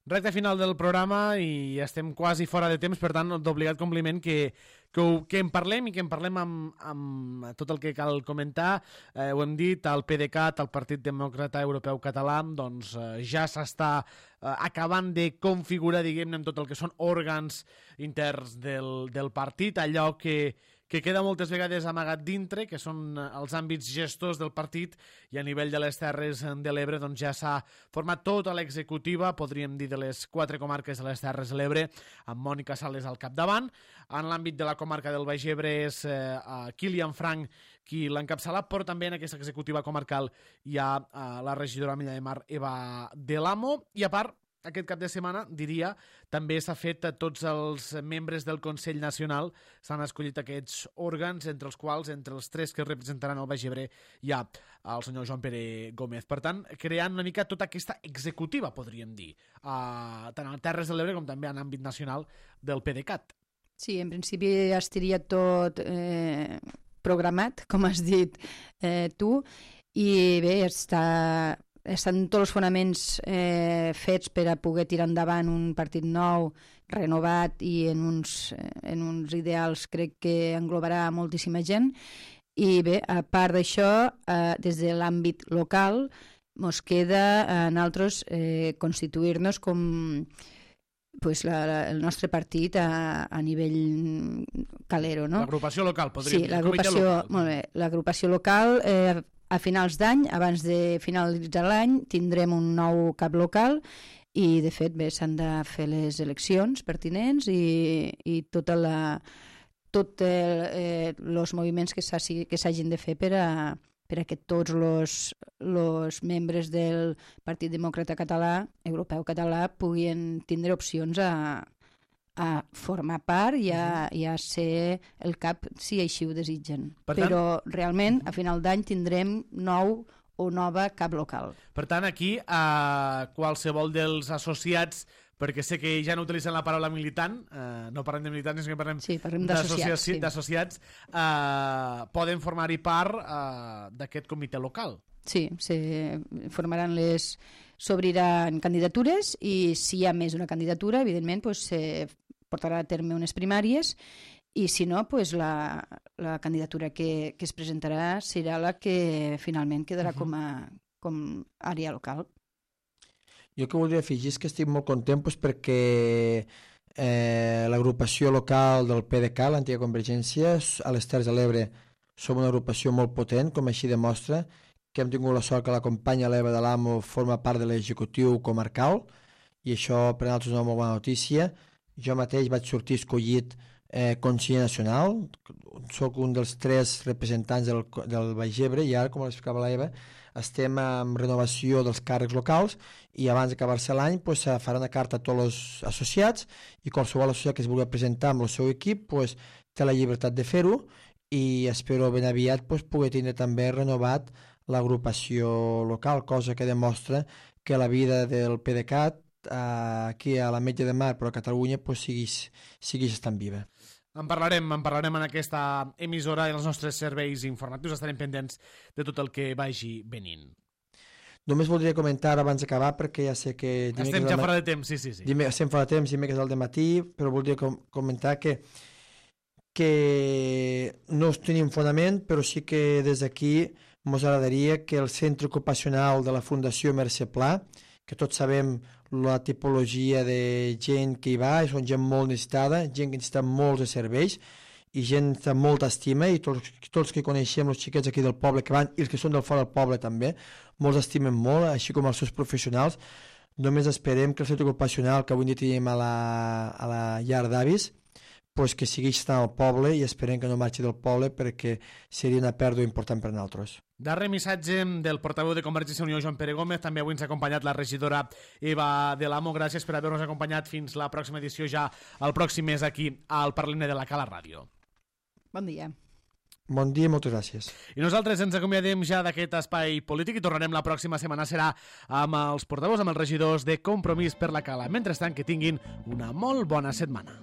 Recte final del programa i estem quasi fora de temps, per tant, d'obligat compliment que en parlem i que en parlem amb tot el que cal comentar. Ho hem dit, el PDeCAT, el Partit Demòcrata Europeu Català, doncs ja s'està acabant de configurar, diguem-ne, amb tot el que són òrgans interns del partit, allò que queda moltes vegades amagat dintre, que són els àmbits gestors del partit, i a nivell de les Terres de l'Ebre doncs ja s'ha format tota l'executiva, podríem dir de les 4 comarques de les Terres de l'Ebre, amb Mònica Sales al capdavant. En l'àmbit de la comarca del Baix Ebre és Kilian Frank qui l'encapçala, però també en aquesta executiva comarcal hi ha la regidora Milla de Mar, Eva Delamo, i a part, aquest cap de setmana, diria, també s'ha fet a tots els membres del Consell Nacional, s'han escollit aquests òrgans, entre els quals, entre els 3 que representaran el Baix Ebre, hi ha el senyor Joan Pere Gómez. Per tant, creant una mica tota aquesta executiva, podríem dir, tant a Terres de l'Ebre com també en àmbit nacional del PDeCAT. Sí, en principi estaria tot programat, com has dit tu, i bé, estan tots els fonaments fets per a poder tirar endavant un partit nou, renovat i en uns ideals crec que englobarà moltíssima gent. I bé, a part d'això, des de l'àmbit local, ens queda a nosaltres constituir-nos com el nostre partit a nivell calero, no? L'agrupació local, podríem dir. Sí, l'agrupació, molt bé. L'agrupació local, a finals d'any, abans de finalitzar l'any, tindrem un nou cap local i, de fet, bé, s'han de fer les eleccions pertinents i tots els moviments que s'hagin de fer per a que tots els membres del Partit Demòcrata Català, Europeu Català, puguin tindre opcions a formar part i a ser el cap si així ho desitgen. Però realment a final d'any tindrem nou o nova cap local. Per tant, aquí qualsevol dels associats, perquè sé que ja no utilitzen la paraula militant, no parlem de militants, sinó que parlem d'associats, poden formar-hi part d'aquest comitè local. Sí, s'obriran candidatures i si hi ha més d'una candidatura, evidentment, portarà a terme unes primàries i si no, la candidatura que es presentarà serà la que finalment quedarà com àrea local. Jo que voldria afegir és que estic molt content perquè l'agrupació local del PDeCAT, l'antiga Convergència, a les Terres de l'Ebre som una agrupació molt potent, com així demostra, que hem tingut la sort que la companya l'Eva Delamo forma part de l'executiu comarcal i això per a nosaltres és una molt bona notícia. Jo mateix vaig sortir escollit conseller nacional, soc un dels 3 representants del Baix Ebre i ara, com l'explicava l'Eva, estem en renovació dels càrrecs locals i abans d'acabar-se l'any farà una carta a tots els associats i qualsevol associat que es vulgui presentar amb el seu equip té la llibertat de fer-ho i espero ben aviat poder tindre també renovat l'agrupació local, cosa que demostra que la vida del PDeCAT aquí a la Metge de Mar, però a Catalunya segueix estant viva. En parlarem en aquesta emissora i els nostres serveis informatius, estarem pendents de tot el que vagi venint. Només voldria comentar abans d'acabar, perquè ja sé que... Estem ja fora de temps, sí. Estem fora de temps, dimecres al dematí, però voldria comentar que no tenim fonament, però sí que des d'aquí ens agradaria que el centre ocupacional de la Fundació Mercè Pla, que tots sabem la tipologia de gent que hi va, són gent molt necessitada, gent que necessita molts de serveis i gent que té molta estima i tots que coneixem, els xiquets aquí del poble que van i els que són del fora del poble també, molts estimen molt, així com els seus professionals. Només esperem que el centre ocupacional que avui dia tenim a la llar d'avis que segueix estant al poble i esperem que no marxi del poble perquè seria una pèrdua important per nosaltres. Darrer missatge del portaveu de Convergència i Unió, Joan Pere Gómez. També avui ens ha acompanyat la regidora Eva Delamo. Gràcies per haver-nos acompanyat fins la pròxima edició, ja el pròxim mes aquí al Parlem-ne de la Cala Ràdio. Bon dia. Bon dia, moltes gràcies. I nosaltres ens acomiadem ja d'aquest espai polític i tornarem la pròxima setmana. Serà amb els portaveus, amb els regidors de Compromís per la Cala. Mentrestant, que tinguin una molt bona setmana.